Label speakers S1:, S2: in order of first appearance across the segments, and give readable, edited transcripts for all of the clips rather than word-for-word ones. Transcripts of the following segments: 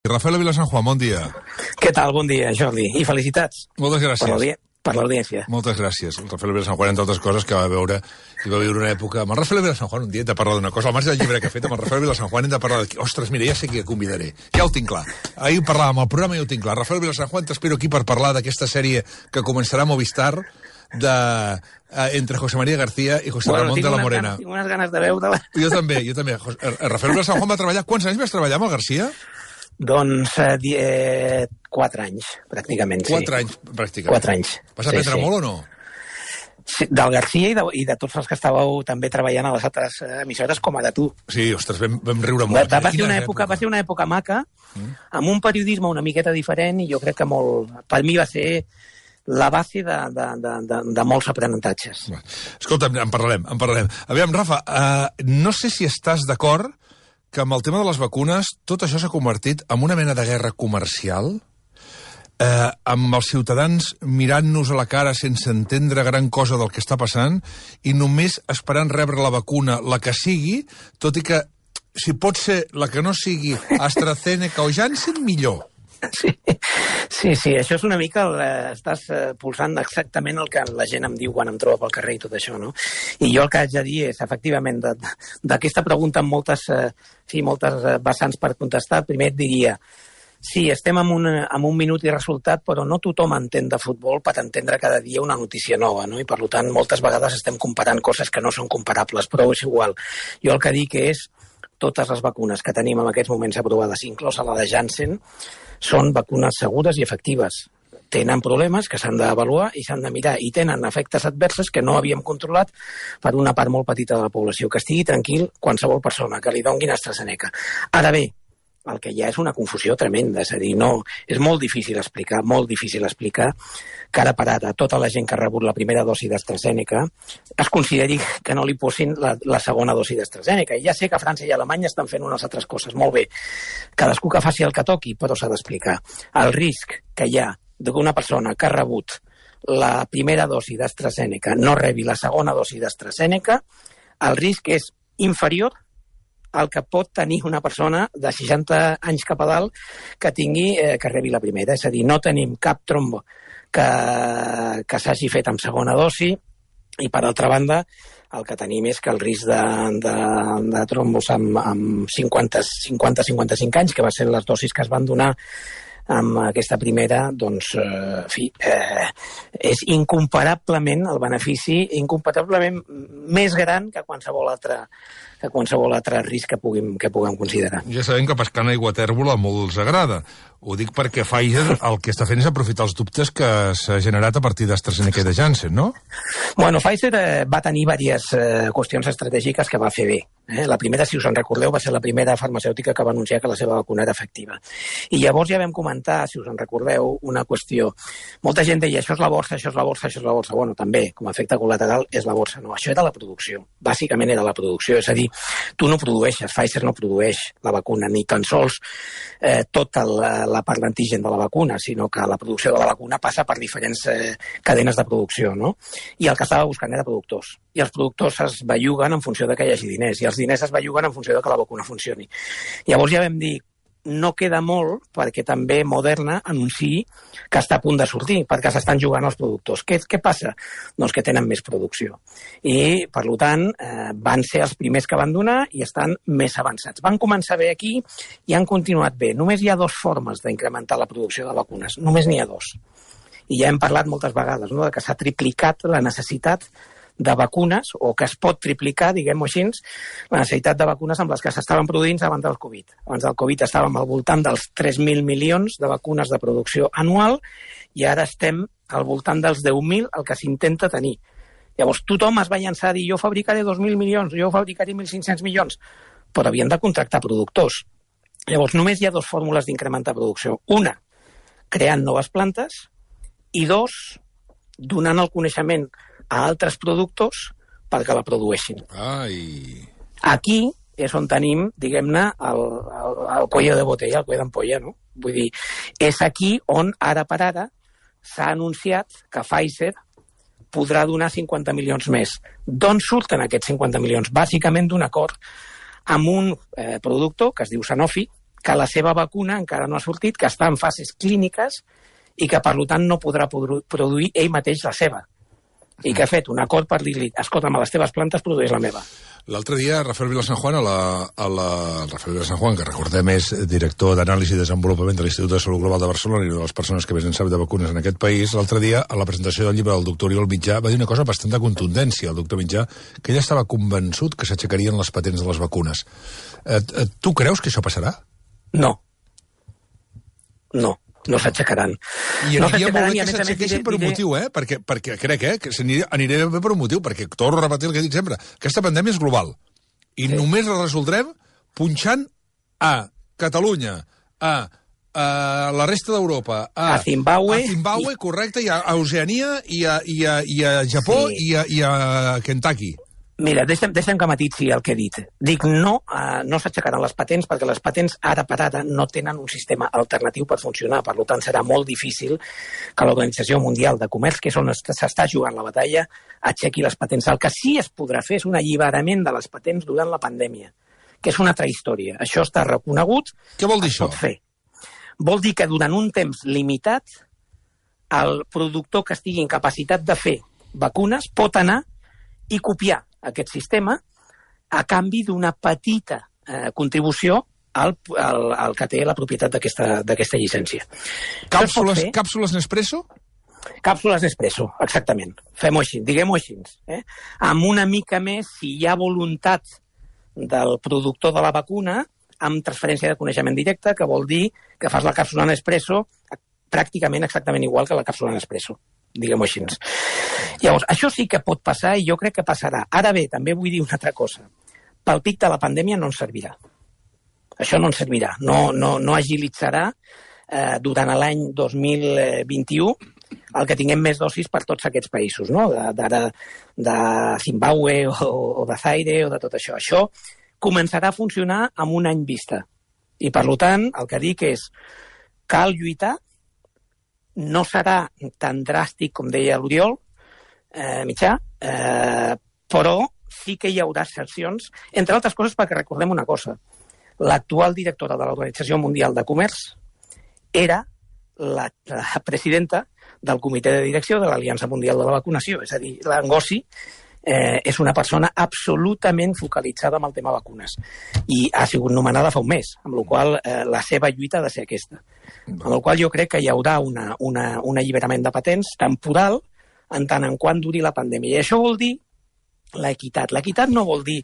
S1: Rafael Vila San Juan, bon dia.
S2: Què tal? Bon dia, Jordi. I felicitats.
S1: Moltes gràcies.
S2: Per l'audiència.
S1: Moltes gràcies. El Rafael Vila San Juan, entre altres coses, que va viure una època... Amb el Rafael Vila San Juan un dia hem de parlar d'una cosa. Al marge del llibre que ha fet, amb el Rafael Vila San Juan hem de parlar de... Ostres, mira, ja sé qui convidaré. Ja ho tinc clar. Ahir parlàvem al programa i ho tinc clar. Rafael Vila San Juan, t'espero aquí per parlar d'aquesta sèrie que començarà a Movistar entre José María García i José Ramón de la Morena.
S2: Tinc unes ganes de veure-la.
S1: Jo també. Rafael Vila San Juan va treballar... Quants anys vas treballar amb el García?
S2: Doncs 4 anys, pràcticament, sí.
S1: 4 anys, pràcticament.
S2: 4 anys.
S1: Vas aprendre molt o no?
S2: Sí, del García i de tots els que estàveu també treballant a les altres emissores, com a de tu.
S1: Sí, ostres, vam riure molt.
S2: Va ser una època maca, amb un periodisme una miqueta diferent, i jo crec que per mi va ser la base de molts aprenentatges.
S1: Escolta, en parlarem. Aviam, Rafa, no sé si estàs d'acord que amb el tema de les vacunes tot això s'ha convertit en una mena de guerra comercial, amb els ciutadans mirant-nos a la cara sense entendre gran cosa del que està passant i només esperant rebre la vacuna, la que sigui, tot i que si pot ser la que no sigui AstraZeneca o Janssen, millor.
S2: Sí, això és una mica... Estàs pulsant exactament el que la gent em diu quan em troba pel carrer i tot això, no? I jo el que haig de dir és, efectivament, d'aquesta pregunta amb moltes vessants per contestar, primer et diria, sí, estem en un minut i resultat, però no tothom entén de futbol per entendre cada dia una notícia nova, no? I per tant, moltes vegades estem comparant coses que no són comparables, però és igual. Jo el que dic és, totes les vacunes que tenim en aquests moments aprovades, inclosa la de Janssen, són vacunes segures i efectives. Tenen problemes que s'han d'avaluar i s'han de mirar, i tenen efectes adversos que no havíem controlat per una part molt petita de la població. Que estigui tranquil qualsevol persona, que li donguin AstraZeneca. Ara bé, el que hi ha és una confusió tremenda, és a dir, no, és molt difícil explicar que ara per ara tota la gent que ha rebut la primera dosi d'AstraZeneca es consideri que no li posin la segona dosi d'AstraZeneca. I ja sé que França i Alemanya estan fent unes altres coses, molt bé. Cadascú que faci el que toqui, però s'ha d'explicar. El risc que hi ha d'una persona que ha rebut la primera dosi d'AstraZeneca no rebi la segona dosi d'AstraZeneca, el risc és inferior el que pot tenir una persona de 60 anys cap a dalt que rebi la primera. És a dir, no tenim cap trombo que s'hagi fet amb segona dosi, i per altra banda el que tenim és que el risc de trombos amb 50-55 anys, que va ser les dosis que es van donar amb aquesta primera, doncs, en fi, és incomparablement el benefici, incomparablement més gran que qualsevol altre risc que puguem considerar.
S1: Ja sabem que pescar en aigua tèrbola a molts agrada. Ho dic perquè Pfizer el que està fent és aprofitar els dubtes que s'ha generat a partir d'AstraZeneca i de Janssen, no?
S2: Bueno, Pfizer va tenir diverses qüestions estratègiques que va fer bé. La primera, si us en recordeu, va ser la primera farmacèutica que va anunciar que la seva vacuna era efectiva. I llavors ja vam comentar, si us en recordeu, una qüestió. Molta gent deia, això és la borsa, això és la borsa, això és la borsa. Bueno, també, com a efecte col·lateral, és la borsa. No, això era la producció. Bàsicament era la producció. És a dir, tu no produeixes, Pfizer no produeix la vacuna, ni tan sols tota la part d'antigen de la vacuna, sinó que la producció de la vacuna passa per diferents cadenes de producció, no? I el que estava buscant era productors. I els productors es belluguen en funció de que hi hagi diners, i els diners es belluguen en funció de que la vacuna funcioni. Llavors ja vam dir, no queda molt perquè també Moderna anunciï que està a punt de sortir, perquè s'estan jugant els productors. Què passa? Doncs que tenen més producció. I, per tant, van ser els primers que van donar i estan més avançats. Van començar bé aquí i han continuat bé. Només hi ha 2 formes d'incrementar la producció de vacunes. Només n'hi ha 2. I ja hem parlat moltes vegades, no?, de que s'ha triplicat la necessitat de vacunes, o que es pot triplicar, diguem-ho així, la necessitat de vacunes amb les que s'estaven produint abans del Covid. Abans del Covid estàvem al voltant dels 3.000 milions de vacunes de producció anual i ara estem al voltant dels 10.000, el que s'intenta tenir. Llavors tothom es va llançar a dir jo fabricaré 2.000 milions, jo fabricaré 1.500 milions, però havien de contractar productors. Llavors només hi ha 2 fórmules d'incrementar producció. Una, creant noves plantes, i 2, donant el coneixement a altres productors perquè la produeixin.
S1: Ai.
S2: Aquí és on tenim, diguem-ne, el cuello de botella, el cuello d'ampolla, no? Vull dir, és aquí on, ara per ara, s'ha anunciat que Pfizer podrà donar 50 milions més. D'on surten aquests 50 milions? Bàsicament d'un acord amb un productor que es diu Sanofi, que la seva vacuna encara no ha sortit, que està en fases clíniques i que, per tant, no podrà produir ell mateix la seva. I que ha fet un acord per dir-li, escolta'm, a les teves plantes produeix la meva.
S1: L'altre dia, Rafael Vilasanjuan, Rafael Vilasanjuan, que recordem és director d'anàlisi i desenvolupament de l'Institut de Salut Global de Barcelona i una de les persones que més en sap de vacunes en aquest país, l'altre dia, a la presentació del llibre del doctor Oriol Mitjà, va dir una cosa bastant de contundència, el doctor Mitjà, que ell estava convençut que s'aixecarien les patents de les vacunes. Tu creus que això passarà?
S2: No. No s'aixecaran.
S1: I aniria molt bé que s'aixequessin per un motiu, perquè crec que aniria bé per un motiu, perquè torno a repetir el que he dit sempre, aquesta pandèmia és global, i només la resoldrem punxant a Catalunya, a la resta d'Europa, a Zimbàbue, correcte, i a Oceania, i a Japó, i a Kentucky.
S2: Mira, deixa'm que matitzi el que he dit. Dic, no s'aixecaran les patents perquè les patents ara per ara no tenen un sistema alternatiu per funcionar. Per tant, serà molt difícil que l'Organització Mundial de Comerç, que és on s'està jugant la batalla, aixequi les patents. El que sí es podrà fer és un alliberament de les patents durant la pandèmia, que és una altra història. Això està reconegut.
S1: Què vol dir això?
S2: Vol dir que durant un temps limitat el productor que estigui en capacitat de fer vacunes pot anar i copiar aquest sistema a canvi d'una petita contribució al que té la propietat d'aquesta llicència.
S1: Càpsules Nespresso?
S2: Càpsules Nespresso, exactament. Fem-ho així, diguem-ho així. Amb una mica més, si hi ha voluntat del productor de la vacuna, amb transferència de coneixement directe, que vol dir que fas la càpsula Nespresso pràcticament exactament igual que la càpsula Nespresso, diguem-ho així. Llavors, això sí que pot passar i jo crec que passarà. Ara bé, també vull dir una altra cosa. Pel pic de la pandèmia no ens servirà. Això no ens servirà. No agilitzarà durant l'any 2021 el que tinguem més dosis per tots aquests països, no? De Zimbàbue o de Zaire o de tot això. Això començarà a funcionar amb un any vista. I, per tant, el que dic és cal lluitar, no serà tan dràstic com deia l'Oriol Mitjà, però sí que hi haurà sancions, entre altres coses perquè recordem una cosa. L'actual directora de l'Organització Mundial de Comerç era la presidenta del comitè de direcció de l'Aliança Mundial de la Vacunació, és a dir, la Ngozi és una persona absolutament focalitzada en el tema vacunes i ha sigut nomenada fa un mes, amb la qual la seva lluita ha de ser aquesta. Amb la qual jo crec que hi haurà un alliberament de patents temporal en tant en quant duri la pandèmia. I això vol dir l'equitat. L'equitat no vol dir...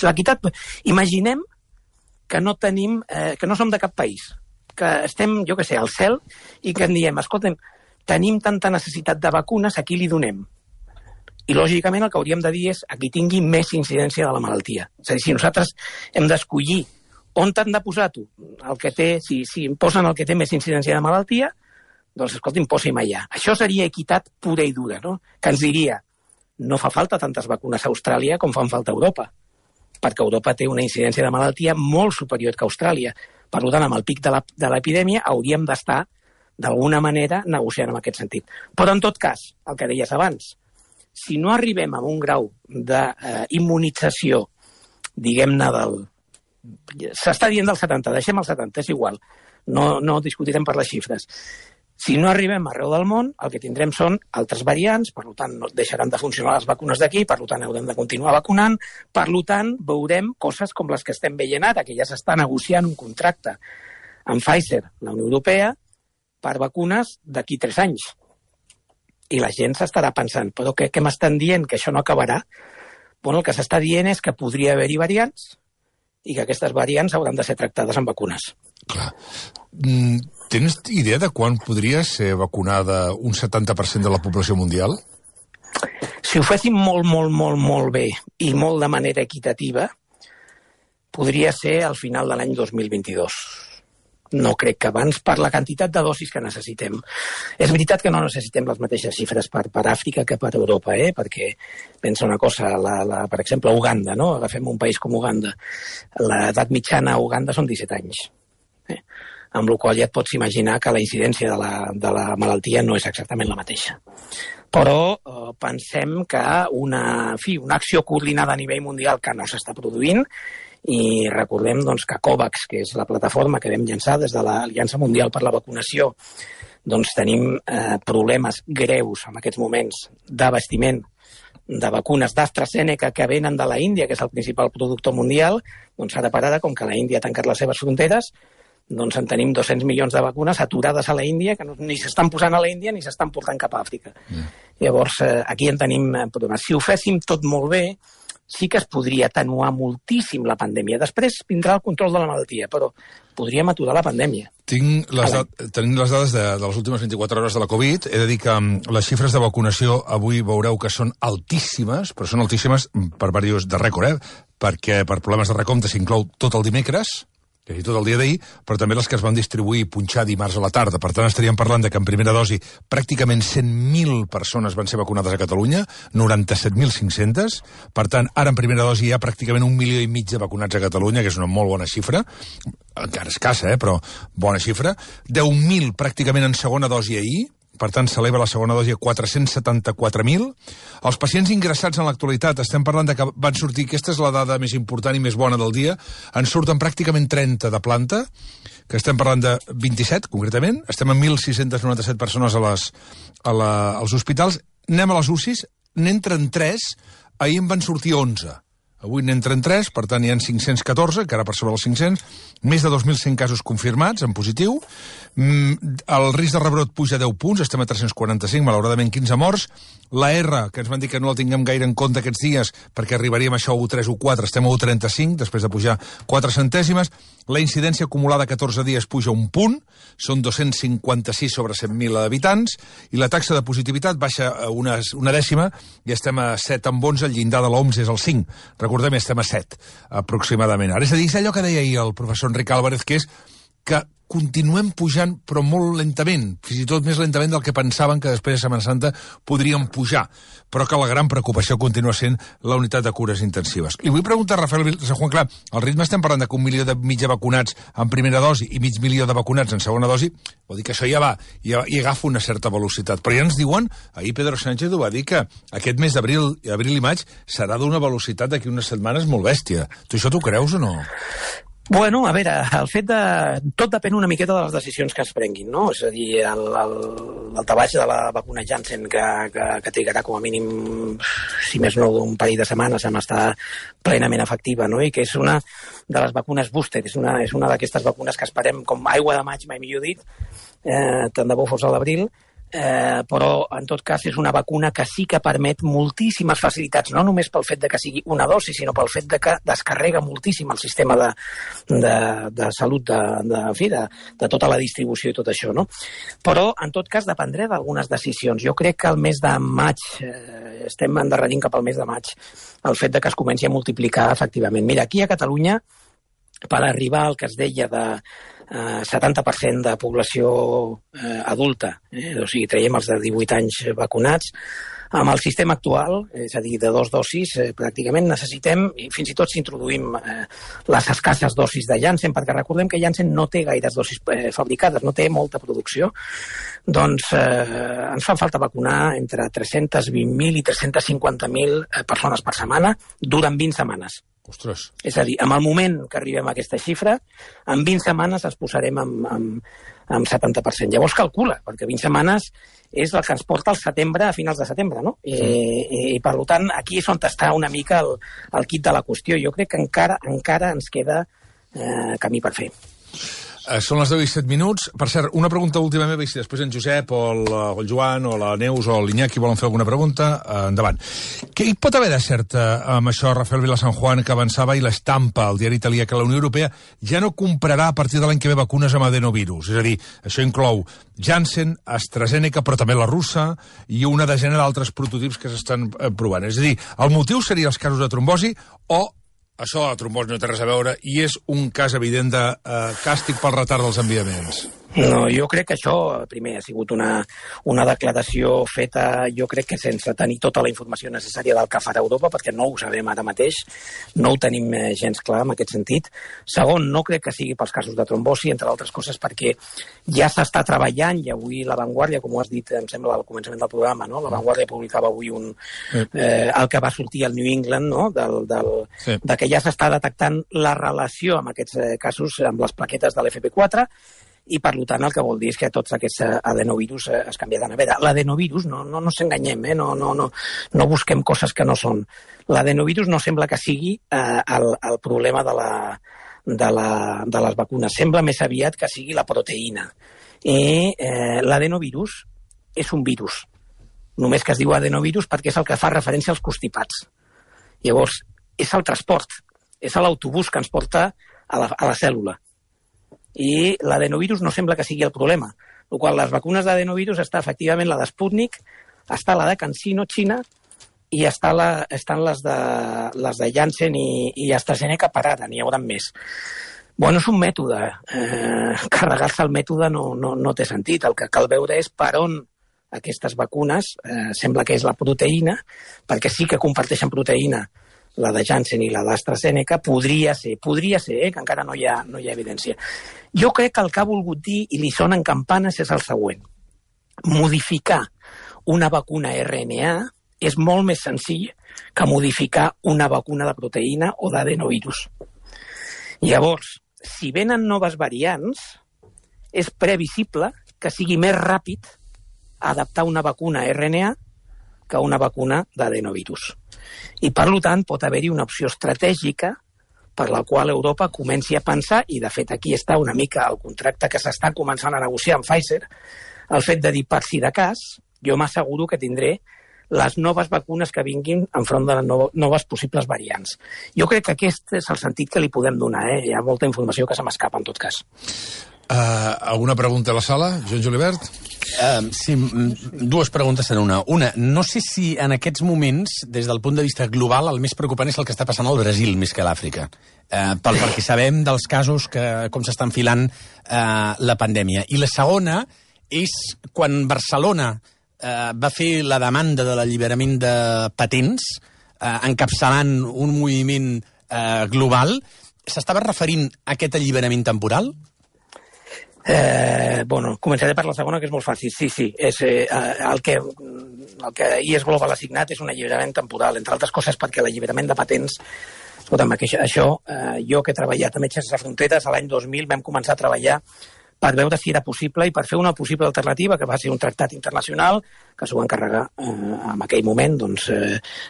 S2: l'equitat... Imaginem que no tenim... que no som de cap país, que estem, jo què sé, al cel i que en diem, escolta'm, tenim tanta necessitat de vacunes, a qui li donem? I, lògicament, el que hauríem de dir és a qui tingui més incidència de la malaltia. És a dir, si nosaltres hem d'escollir on t'han de posar tu, el que té, si em posen el que té més incidència de malaltia, doncs, escolti'm, posi'm allà. Això seria equitat pura i dura, no? Que ens diria, no fa falta tantes vacunes a Austràlia com fan falta a Europa, perquè Europa té una incidència de malaltia molt superior que Austràlia. Per tant, amb el pic de l'epidèmia hauríem d'estar, d'alguna manera, negociant en aquest sentit. Però, en tot cas, el que deies abans, si no arribem a un grau d'immunització, diguem-ne s'està dient del 70, deixem el 70, és igual, no discutirem per les xifres. Si no arribem arreu del món, el que tindrem són altres variants, per tant, no deixaran de funcionar les vacunes d'aquí, per tant, haurem de continuar vacunant, per tant, veurem coses com les que estem veient ara, que ja s'està negociant un contracte amb Pfizer, la Unió Europea, per vacunes d'aquí 3 anys. I la gent s'estarà pensant, però què m'estan dient, que això no acabarà? Bueno, el que s'està dient és que podria haver-hi variants i que aquestes variants hauran de ser tractades amb vacunes.
S1: Clar. Tens idea de quan podria ser vacunada un 70% de la població mundial?
S2: Si ho féssim molt bé i molt de manera equitativa, podria ser al final de l'any 2022. No crec que abans, per la quantitat de dosis que necessitem. És veritat que no necessitem les mateixes xifres per Àfrica que per Europa, perquè pensa una cosa, per exemple, Uganda, no? Agafem un país com Uganda. L'edat mitjana a Uganda són 17 anys. Amb la qual ja et pots imaginar que la incidència de la malaltia no és exactament la mateixa. Però pensem que una acció coordinada a nivell mundial que no s'està produint i recordem doncs, que COVAX, que és la plataforma que vam llançar des de l'Aliança Mundial per la Vacunació, doncs tenim problemes greus en aquests moments d'abastiment de vacunes d'AstraZeneca que venen de la Índia, que és el principal productor mundial. Doncs ara per ara, com que la Índia ha tancat les seves fronteres, doncs en tenim 200 milions de vacunes aturades a la Índia, que ni s'estan posant a la Índia ni s'estan portant cap a Àfrica. Llavors, aquí en tenim problemes. Si ho féssim tot molt bé, sí que es podria atenuar moltíssim la pandèmia. Després vindrà el control de la malaltia, però podríem aturar la pandèmia.
S1: Tenim les dades de les últimes 24 hores de la Covid. He de dir que les xifres de vacunació avui veureu que són altíssimes, però són altíssimes per diversos de rècord, perquè per problemes de recompte s'inclou tot el dimecres, que és tot el dia d'ahir, però també les que es van distribuir i punxar dimarts a la tarda. Per tant, estaríem parlant de que en primera dosi pràcticament 100.000 persones van ser vacunades a Catalunya, 97.500. Per tant, ara en primera dosi hi ha pràcticament 1,5 milió de vacunats a Catalunya, que és una molt bona xifra, encara escassa, però bona xifra. 10.000 pràcticament en segona dosi ahir, per tant, s'eleva la segona dosi a 474.000. Els pacients ingressats en l'actualitat, estem parlant de que van sortir, aquesta és la dada més important i més bona del dia, en surten pràcticament 30 de planta, que estem parlant de 27, concretament, estem en 1.697 persones als hospitals, anem a les UCIs, n'entren 3, ahir en van sortir 11. Avui n'entren 3, per tant hi ha 514, encara per sobre els 500, més de 2.100 casos confirmats en positiu, el risc de rebrot puja 10 punts, estem a 345, malauradament 15 morts, la R, que ens van dir que no la tinguem gaire en compte aquests dies, perquè arribaríem a això a 1,3 o 4, estem a 1,35, després de pujar 4 centèsimes, la incidència acumulada a 14 dies puja un punt, són 256 sobre 100.000 habitants, i la taxa de positivitat baixa una dècima, i estem a 7 amb 11, el llindar de l'OMS és el 5, recordem, estem a 7, aproximadament. Ara, és a dir, és allò que deia ahir el professor Enric Álvarez, que és que continuem pujant, però molt lentament, fins i tot més lentament del que pensaven que després de Setmana Santa podríem pujar, però que la gran preocupació continua sent la unitat de cures intensives. Li vull preguntar a Rafael San Juan, clar, al ritme estem parlant de que 1,5 milió de vacunats en primera dosi i 500 milió de vacunats en segona dosi, vol dir que això ja va, ja agafa una certa velocitat. Però ja ens diuen, ahir Pedro Sánchez ho va dir, que aquest mes d'abril i maig serà d'una velocitat d'aquí unes setmanes molt bèstia. Tu això t'ho creus o no?
S2: Bueno, a veure, el fet de... Tot depèn una miqueta de les decisions que es prenguin, no? És a dir, el tabaix de la vacuna Janssen, que trigarà com a mínim, si més no, un parell de setmanes en estar plenament efectiva, no? I que és una de les vacunes booster, és una d'aquestes vacunes que esperem com aigua de maig, mai millor dit, tant de bo fos a l'abril, però en tot cas és una vacuna que sí que permet moltíssimes facilitats, no només pel fet de que sigui una dosi, sinó pel fet de que descarrega moltíssim el sistema de salut de tota la distribució i tot això, no? Però en tot cas dependrà d'algunes decisions. Jo crec que el mes de maig, estem endarrerint cap al mes de maig, el fet de que es comenci a multiplicar efectivament. Mira, aquí a Catalunya, per arribar al que es deia de 70% de població adulta, o sigui, traiem els de 18 anys vacunats, amb el sistema actual, és a dir, de 2 dosis, pràcticament necessitem, i fins i tot si introduïm les escasses dosis de Janssen, perquè recordem que Janssen no té gaires dosis fabricades, no té molta producció, doncs ens fa falta vacunar entre 320.000 i 350.000 persones per setmana durant 20 setmanes.
S1: Ostres.
S2: És a dir, en el moment que arribem a aquesta xifra, en 20 setmanes es posarem amb 70%. Llavors calcula, perquè 20 setmanes és el que ens porta al setembre, a finals de setembre, no? I per tant, aquí és on està una mica el quid de la qüestió. Jo crec que encara ens queda camí per fer.
S1: Són les 10 i 7 minuts. Per cert, una pregunta última meva, i si després en Josep o el Joan o la Neus o l'Iñaki volen fer alguna pregunta, endavant. Què hi pot haver de cert amb això, Rafael Vila San Juan, que avançava, i l'estampa al diari italià, que la Unió Europea ja no comprarà a partir de l'any que ve vacunes amb adenovirus? És a dir, això inclou Janssen, AstraZeneca, però també la russa, i una desena d'altres prototips que s'estan provant. És a dir, el motiu seria els casos de trombosi o això de la trombosi no té res a veure i és un cas evident de càstig pel retard dels enviaments?
S2: No, jo crec que això, primer, ha sigut una declaració feta, jo crec que sense tenir tota la informació necessària del que farà Europa, perquè no ho sabem ara mateix, no ho tenim gens clar en aquest sentit. Segon, no crec que sigui pels casos de trombosi, entre altres coses perquè ja s'està treballant, i avui La Vanguardia, com ho has dit, em sembla, al començament del programa, no? La Vanguardia publicava avui el que va sortir al New England, no? De que ja s'està detectant la relació amb aquests casos, amb les plaquetes de l'FP4, i per tant el que vol dir és que tots aquests adenovirus es canviaran. A veure, l'adenovirus, no s'enganyem, no busquem coses que no són. L'adenovirus no sembla que sigui el problema de les vacunes, sembla més aviat que sigui la proteïna. I l'adenovirus és un virus, només que es diu adenovirus perquè és el que fa referència als constipats. Llavors, és el transport, és l'autobús que ens porta a la cèl·lula. I l'adenovirus no sembla que sigui el problema. El qual les vacunes d'adenovirus està efectivament la d'Sputnik, està la de CanSino, Xina, i estan les de Janssen i AstraZeneca per ara, n'hi haurà més. Bueno, és un mètode. Carregar-se el mètode no té sentit. El que cal veure és per on aquestes vacunes, sembla que és la proteïna, perquè sí que comparteixen proteïna, la de Janssen i la d'AstraZeneca, podria ser, que encara no hi ha evidència. Jo crec que el que ha volgut dir, i li sonen campanes, és el següent. Modificar una vacuna RNA és molt més senzill que modificar una vacuna de proteïna o d'adenovirus. Llavors, si venen noves variants, és previsible que sigui més ràpid adaptar una vacuna RNA que una vacuna d'adenovirus. I, per tant, pot haver-hi una opció estratègica per la qual Europa comenci a pensar, i de fet aquí està una mica el contracte que s'està començant a negociar amb Pfizer, el fet de dir, per si de cas, jo m'asseguro que tindré les noves vacunes que vinguin enfront de les noves possibles variants. Jo crec que aquest és el sentit que li podem donar. Hi ha molta informació que se m'escapa, en tot cas.
S1: Alguna pregunta a la sala? Joan Julibert?
S3: Sí, dues preguntes en una. Una, no sé si en aquests moments, des del punt de vista global, el més preocupant és el que està passant al Brasil més que a l'Àfrica. Perquè sabem dels casos com s'està enfilant la pandèmia. I la segona és quan Barcelona va fer la demanda de l'alliberament de patents, encapçalant un moviment global, s'estava referint a aquest alliberament temporal?
S2: Començaré per la segona, que és molt fàcil. Sí, el que IS Global ha signat és un alliberament temporal, entre altres coses perquè l'alliberament de patents, escolta'm, això, jo que he treballat a Metges Sense Fronteres, l'any 2000 vam començar a treballar per veure si era possible i per fer una possible alternativa, que va ser un tractat internacional que s'ho va encarregar en aquell moment,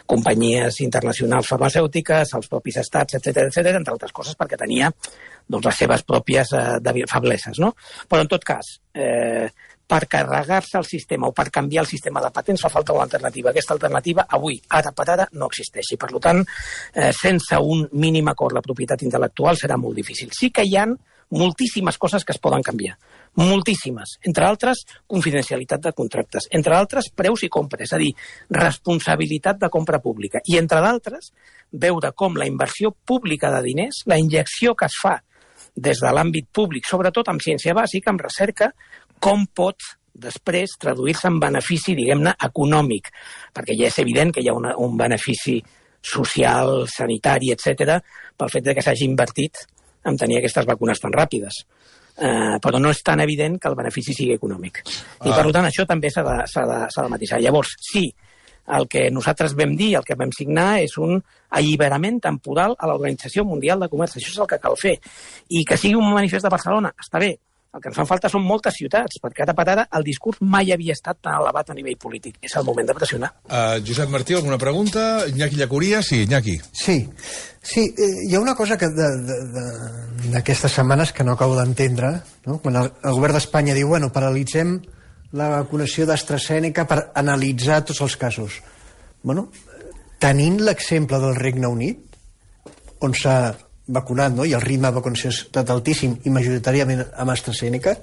S2: companyies internacionals farmacèutiques, els propis estats, etc., entre altres coses perquè tenia les seves pròpies febleses, no? Però en tot cas, per carregar-se el sistema o per canviar el sistema de patents fa falta una alternativa. Aquesta alternativa avui, ara per ara, no existeix. I per tant, sense un mínim acord la propietat intel·lectual serà molt difícil. Sí que hi ha moltíssimes coses que es poden canviar. Moltíssimes. Entre altres, confidencialitat de contractes. Entre altres, preus i compres. És a dir, responsabilitat de compra pública. I entre d'altres, veure com la inversió pública de diners, la injecció que es fa des de l'àmbit públic, sobretot amb ciència bàsica, amb recerca, com pot després traduir-se en benefici, diguem-ne, econòmic. Perquè ja és evident que hi ha un benefici social, sanitari, etc., pel fet que s'hagi invertit en tenir aquestes vacunes tan ràpides. Però no és tan evident que el benefici sigui econòmic. I per tant això també s'ha de matisar. Llavors, sí, el que nosaltres vam dir, el que vam signar, és un alliberament temporal a l'Organització Mundial de Comerç. Això és el que cal fer. I que sigui un manifest de Barcelona, està bé. El que ens fan falta són moltes ciutats, perquè ara per ara el discurs mai havia estat tan elevat a nivell polític. És el moment de pressionar.
S1: Josep Martí, alguna pregunta? Iñaki Llacuria? Sí, Iñaki.
S4: Sí, hi ha una cosa que d'aquestes setmanes que no acabo d'entendre, no? Quan el govern d'Espanya diu, paralitzem la vacunació d'AstraZeneca per analitzar tots els casos. Tenint l'exemple del Regne Unit, on s'ha vacunat, no? I el ritme de vacunació ha estat altíssim i majoritàriament amb AstraZeneca,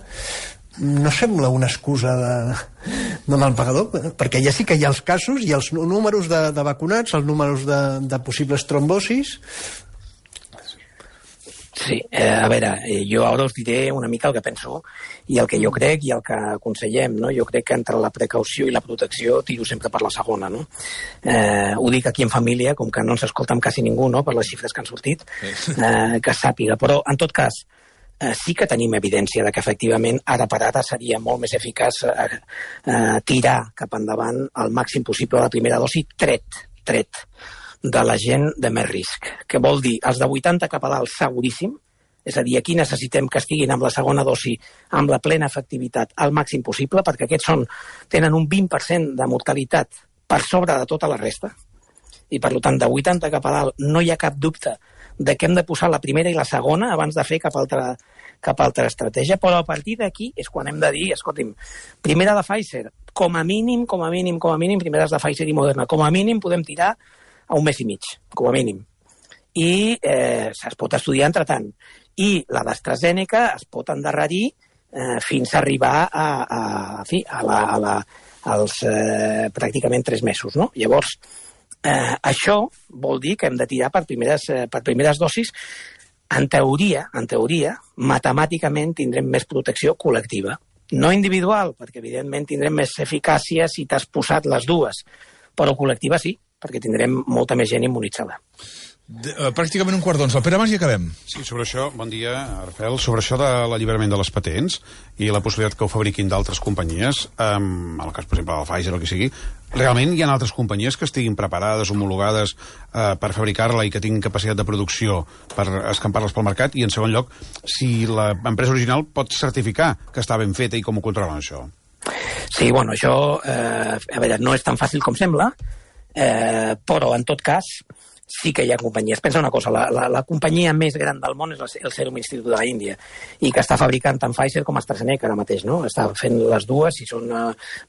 S4: no sembla una excusa de mal pagador, perquè ja sí que hi ha els casos i els números de vacunats, els números de possibles trombosis.
S2: Sí, a veure, jo ara us diré una mica el que penso i el que jo crec i el que aconsellem, no? Jo crec que entre la precaució i la protecció tiro sempre per la segona, no? Ho dic aquí en família, com que no ens escolta amb quasi ningú, no?, per les xifres que han sortit, que sàpiga. Però, en tot cas, sí que tenim evidència de que efectivament ara per ara seria molt més eficaç tirar cap endavant el màxim possible la primera dosi tret de la gent de més risc, que vol dir els de 80 cap a dalt seguríssim, és a dir, aquí necessitem que estiguin amb la segona dosi amb la plena efectivitat al màxim possible, perquè aquests tenen un 20% de mortalitat per sobre de tota la resta, i per tant de 80 cap a dalt no hi ha cap dubte de que hem de posar la primera i la segona abans de fer cap altra estratègia, però a partir d'aquí és quan hem de dir, escolti'm, primera de Pfizer, com a mínim, primeres de Pfizer i Moderna, com a mínim podem tirar a un mes i mig, com a mínim. I es pot estudiar entretant. I la d'AstraZeneca es pot endarrerir fins a arribar als pràcticament 3 mesos, no? Llavors, això vol dir que hem de tirar per primeres dosis. En teoria, matemàticament tindrem més protecció col·lectiva. No individual, perquè evidentment tindrem més eficàcia si t'has posat les dues, però col·lectiva sí, perquè tindrem molta més gent immunitzada.
S1: Pràcticament un quart d'onze. El Pere Mas i acabem.
S5: Sí, sobre això, bon dia, Rafael, sobre això de l'alliberament de les patents i la possibilitat que ho fabriquin d'altres companyies, en el cas, per exemple, del Pfizer o el que sigui, realment hi ha altres companyies que estiguin preparades, homologades per fabricar-la i que tinguin capacitat de producció per escampar-les pel mercat, i en segon lloc, si l'empresa original pot certificar que està ben feta i com ho controlen, això?
S2: Sí, bueno, això a veure, no és tan fàcil com sembla, però en tot cas sí que hi ha companyies. Pensa una cosa, la companyia més gran del món és el Serum Institute de l'Índia, i que està fabricant tant Pfizer com AstraZeneca ara mateix, no? Està fent les dues i són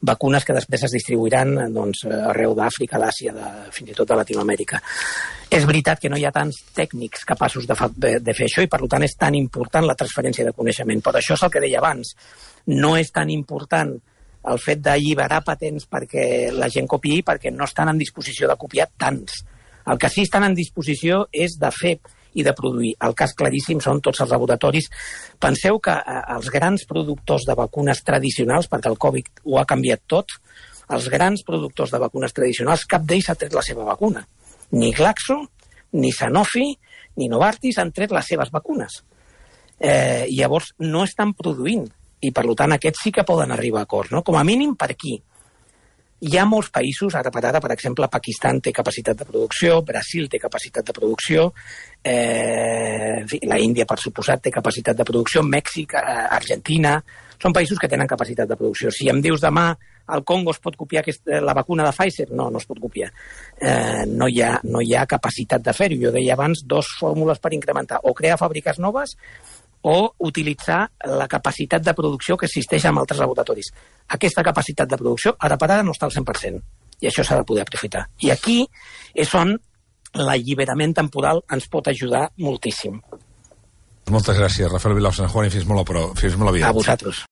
S2: vacunes que després es distribuiran arreu d'Àfrica, d'Àsia, fins i tot de Latinoamèrica. És veritat que no hi ha tants tècnics capaços de fer això i per tant és tan important la transferència de coneixement. Però això és el que deia abans. No és tan important el fet d'alliberar patents perquè la gent copiï, perquè no estan en disposició de copiar tants. El que sí estan en disposició és de fer i de produir. El cas claríssim són tots els laboratoris. Penseu que els grans productors de vacunes tradicionals, perquè el Covid ho ha canviat tot, els grans productors de vacunes tradicionals, cap d'ells ha tret la seva vacuna. Ni Glaxo, ni Sanofi, ni Novartis han tret les seves vacunes. Llavors no estan produint, i per tant aquests sí que poden arribar a acords, no? Com a mínim per aquí. Hi ha molts països, ara per exemple, Pakistan té capacitat de producció, Brasil té capacitat de producció, la Índia, per suposat, té capacitat de producció, Mèxic, Argentina, són països que tenen capacitat de producció. Si em dius demà al Congo es pot copiar la vacuna de Pfizer, no es pot copiar. No hi ha capacitat de fer-ho. Jo deia abans 2 fórmules per incrementar, o crear fàbriques noves o utilitzar la capacitat de producció que existeix en altres laboratoris. Aquesta capacitat de producció ara per ara no està al 100%, i això s'ha de poder aprofitar. I aquí és on l'alliberament temporal ens pot ajudar moltíssim.
S1: Moltes gràcies, Rafael Vilau, Sant Juan, i fins molt aviat.
S2: A vosaltres.